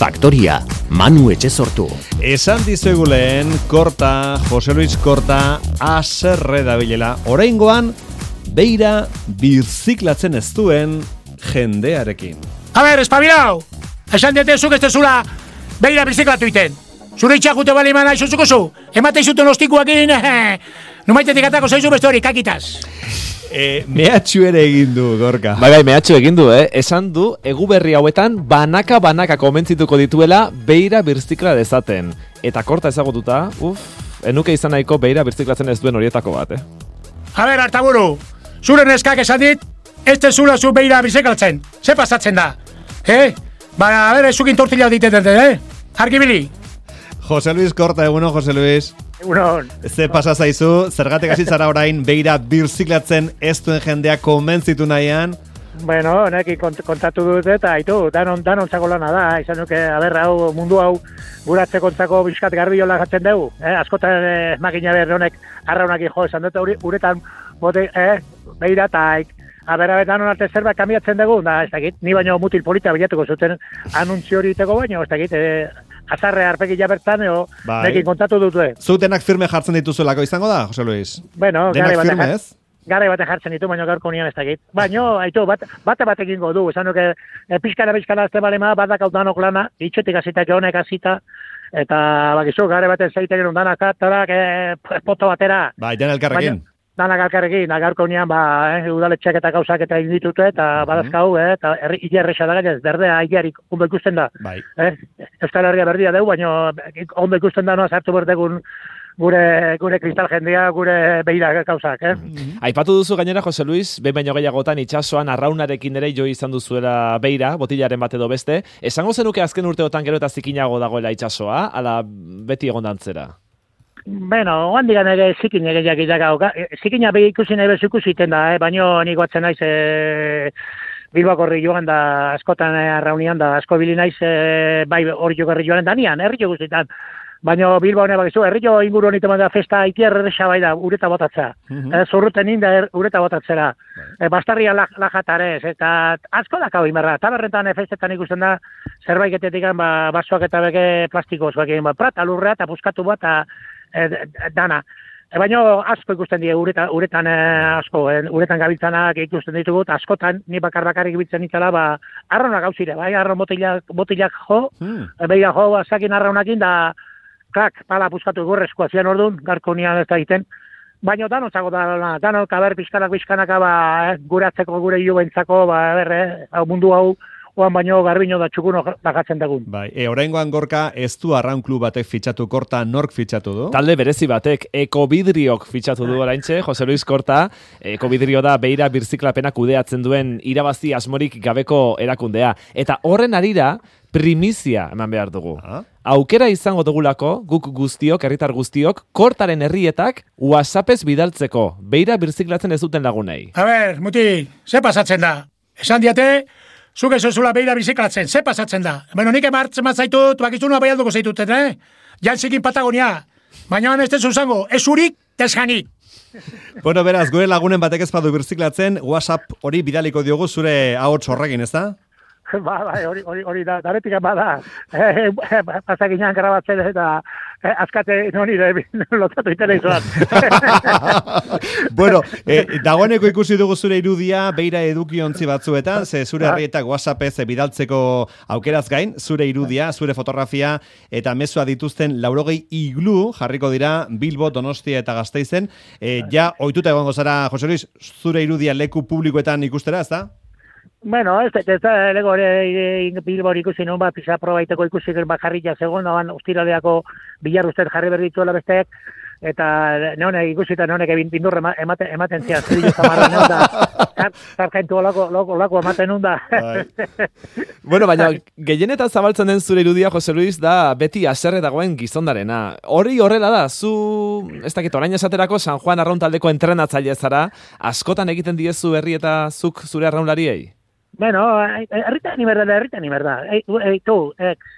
Faktoria, Manu Etxezortu. Esan dizueguleen, Korta, Jose Luis Korta, aserre dabilela. Oraingoan, beira birziklatzen ez duen jendearekin. A ber, espabilau! Esan diete zuk ez dezula beira birziklatu iten. Zure itxakute bali mana izuzuko zu. Emate izuten ostikuakin, numaitetik atako zaizu beste hori, kakitaz. Mehatxu ere egin du, Gorka. Bai, mehatxu egin du, Esan du, eguberri hauetan banaka konbentzituko dituela beira birzikla dezaten. Eta Korta ezagututa, enuke izan nahiko beira birziklatzen ez duen horietako bat, A ber, Artaburu, zure neskak esan dit, ez dezula zu beira birziklatzen. Ze pasatzen da? A ber, zukin tortilla diteten, Argibili. Jose Luis Korta, egunon, Jose Luis. Egunon. Ze pasa zaizu, zergatik hasi zara orain beira birziklatzen ez duen jendea konbentzitu nahian? Bueno, neki kontatu dut eta haitu, danon txako lana da, izan nuke, hau, mundu hau, guratze kontzako bizkat garbiola jatzen dugu. Askotan makina berri honek, arraunak jo, esan dut uretan, bote, beira taik. Danon arte zerbait kambiatzen dugu, da, ez dakit, ni baino mutil polita bilatuko zuten anuntzio hori iteko baino, ez dakit, azarre arpekila bertan, nekin kontatu dut. Zutenak firme jartzen dituzuelako izango da, Jose Luis? Bueno, Gare bate jartzen ditu, baina gaurko nian ez dakit. Baina, haitu, bate egingo du, esan nuke, pixkana azte balema, batak hau danok lana, itxetik azitak honek azita, eta bakizu, gare baten zeiten undanak atarak, poto batera. Bai, den elkarrekin. Danak alkarrekin, gaurko nian, udaletxeak eta gauzak eta inditute, eta badazkau, eta hilerresa da gainez, berdea hilerik ondo ikusten da. Bai. Euskal Herria berdia dugu, baina ondo ikusten da noa sartu berdegun gure kristal jendea, gure beira gauzak, Aipatu duzu gainera, Jose Luis, behin baino gehiagotan itsasoan arraunarekin ere jo izan duzuela beira, botilaren bat edo beste. Esango zenuke azken urteotan gero eta zikinago dagoela itsasoa, ala beti egon dantzera? Bueno, handigan ere zikin ere jakitaka. Zikina behi ikusi nahi bezu ikusiten da, baina nik batzen naiz Bilbako herri joan da, askotan arraunian da, asko bili naiz bai hori jogarri joan da nian, herri jo guztietan. Baina Bilbao hone bakizu, herri jo inguru honiteman da festa itiar erresa bai da, ureta botatza. Zorruten inda ureta botatzera. Bastarria lajatarez, eta asko dakau inberra. Taberretan festetan ikusten da, zerbaiketetik basoak eta beke plastikoz, prata lurrea eta puskatu bat, dana. Baina asko ikusten die uretan asko, uretan gabiltzanak ikusten ditugu, askotan ni bakarrik ibiltzen itala, arrauna gauzire, bai, arraun botilak jo, beia jo, azakin arraunakin da, pala puskatu gurrezkoa zian orduan, garko nian ez da egiten. Baina danotzago da, danok, bizkanak, guratzeko, gure hilo bentzako, mundu hau, oan baino garbino da txukuno bagatzen dagun. Bai, oraingoan Gorka ez du arraun klub batek fitxatu, Korta nork fitxatu du? Talde berezi batek, Ekobidriok fitxatu du oraintxe, Jose Luis Korta. Ekobidrio da beira birziklapena kudeatzen duen irabazi asmorik gabeko erakundea. Eta horren arira, primizia eman behar dugu. Aukera izango dugulako, guk guztiok, herritar guztiok, Kortaren herrietak WhatsAppez bidaltzeko, beira birziklatzen ez duten lagunei. A ber, muti, ze pasatzen da? Esan diate, zuk ez zula beira biziklatzen, ze pasatzen da? Beno, nik emartzen matzaitut, bakizunua bai alduko zaituten, Jantzikin Patagonia. Baina ez dezu zango, ez urik, tezjanik. Bueno, beraz, gure lagunen batek ez badu birziklatzen, WhatsApp hori bidaliko diogu zure ahots horrekin, ez da? Hori da, daretik bada, pasakinan grabatzen eta azkate noni lotatu itela izoan. Bueno, dagoeneko ikusi dugu zure irudia, beira edukiontzi batzuetan, ze zure herrietak WhatsAppez bidaltzeko aukeraz gain, zure irudia, zure fotografia eta mezua dituzten 80 iglu jarriko dira Bilbo, Donostia eta Gasteizen. Ja, ohituta egongo zara, Jose Luis, zure irudia leku publikoetan ikustera, ez da? Bueno, ez da, lego Bilbao ikusi nun bat, pisa probaiteko ikusi jarria zegoen, ostiraleako bilarruztet jarri berdituela besteak, eta neone ikusita neonek bindurre ematen zian, zidillo zamarra neon da, zarkaintu olako ematen nun da. Bueno, baina gehienetan zabaltzen den zure irudia, Jose Luis, da beti haserre dagoen gizondarena. Hori horrela da, zu, ez dakit, orain esaterako San Juan arraun taldeko entrenatzaile zara, askotan egiten diezu herri eta zuk zure arraunlariei? Bueno, erritan iberda.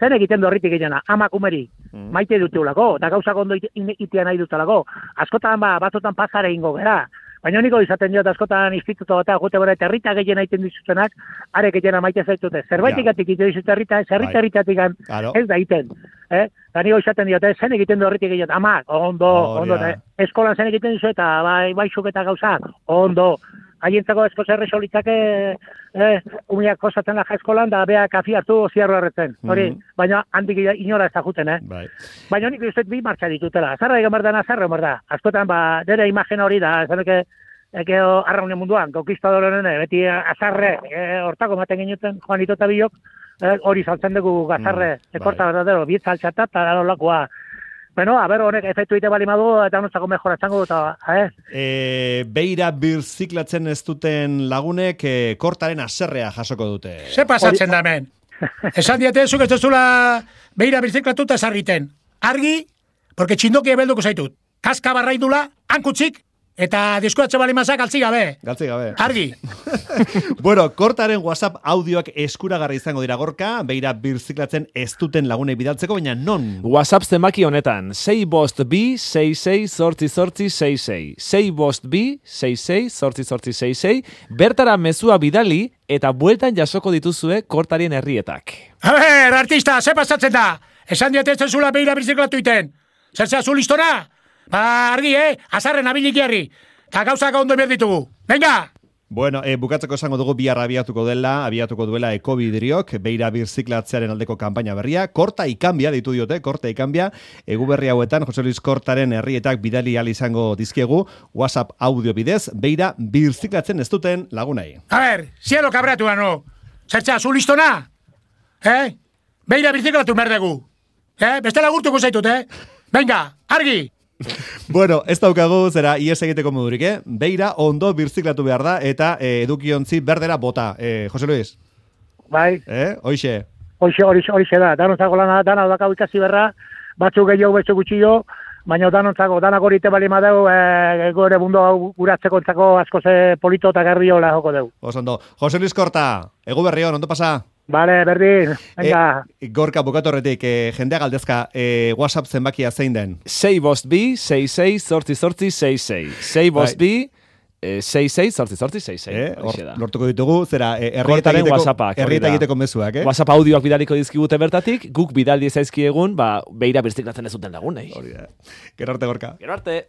Zen egiten du erritik egena, amakumeri, maite dutulako, eta gauzak ondo itia nahi dutelako. Askotan batzotan pasare ingo gera. Baina niko izaten diot askotan instituto eta gute bera eta herrita gehien egiten dizutenak, are gehien maite zaitute. Zerbaitikatik egiten dizute herritatik ez da egiten. Eta niko izaten diot, zen egiten du herritik gehien, ama, ondo, eskolan zen egiten dizu eta baixuk eta gauza, ondo. Haientzako esko zerre solitzake umiak posatzen laja eskolan, da bea kafi hartu ziarro erretzen. Hori, baina handik inora ez da juten, Baina nik uste bi martxa ditutela. Azarra egan behar da. Askotan, dere imagen hori da, zaneke, arraunen munduan, konkistadororen, beti azarre, hortako maten ginuten, Juanito eta Bilok, hori saltzen dugu gazarre, ekorta verdadero, bietza altxatat, eta daro lakoa. Bueno, a ver, honek efektu ite bali madu, eta nontzako mejoratzango, eta, Beira birziklatzen ez duten lagunek kortaren aserrea jasoko dute. Ze pasatzen da hemen? Esan diate, zuk ez duzula beira birziklatuta esarriten. Argi, porque txindoki ebelduko zaitut. Kaska barraidula, hankutzik, eta diskuatze bali mazak altzi gabe. Argi. Bueno, kortaren WhatsApp audioak eskuragarri izango dira Gorka, beira birziklatzen ez duten lagunei bidaltzeko, baina non? WhatsApp zenbaki honetan, 6-bost-bi-66-zortzi-zortzi-66. 6-bost-bi-66-zortzi-zortzi-66. Bertara mezua bidali eta bueltan jasoko dituzue kortarien herrietak. A ver, artista, ze pasatzen da? Esan diate ez zula beira birziklatu iten. Zertzea zu listona? Argi, azarren abilik jarri. Eta gauzak ondo behar ditugu. Venga! Bueno, bukatzeko esango dugu bihar abiatuko duela Ekobidriok, beira birziklatzearen aldeko kanpaina berria. Korta ikanbia, ditu diote, korta ikanbia. Egu berri hauetan, Jose Luis Kortaren herrietak bidali al izango dizkiegu, WhatsApp audio bidez, beira birziklatzen ez duten lagunai. A ver, zielo kabratu no. Zertzea, zu listona? Beira birziklatu merdegu. Bestela gurtuko zaitut, Venga, argi! Bueno, ez daukagu, zera, ies egiteko modurik, Beira ondo birziklatu behar da, eta edukiontzi berdera bota. Jose Luis? Bai. Hoixe? Hoixe da. Danontzako lana, dana dakau ikasi berra, batzuk gehiago betzu gutxio, baina danak hori te bali madeu, gore bundo guratzeko entzako asko ze polito eta garbiola joko deu. Osondo. Jose Luis Korta, egu berrion, ondo pasa? Vale, berdin, venga. Gorka bukatorretik, jendea galdezka, WhatsApp zenbakia zein den? 6-bost-bi-66-zortzi-zortzi-66. 6-bost-bi-66-zortzi-zortzi-66. Lortuko ditugu, zera, kortaren WhatsAppak. Herrieta egiteko mezuak, WhatsApp audioak bidaliko dizkigute bertatik, guk bidaldi zaizkiegun, beira birziklatzen ez duten lagunei. Hori da. Gero arte, Gorka. Gero arte.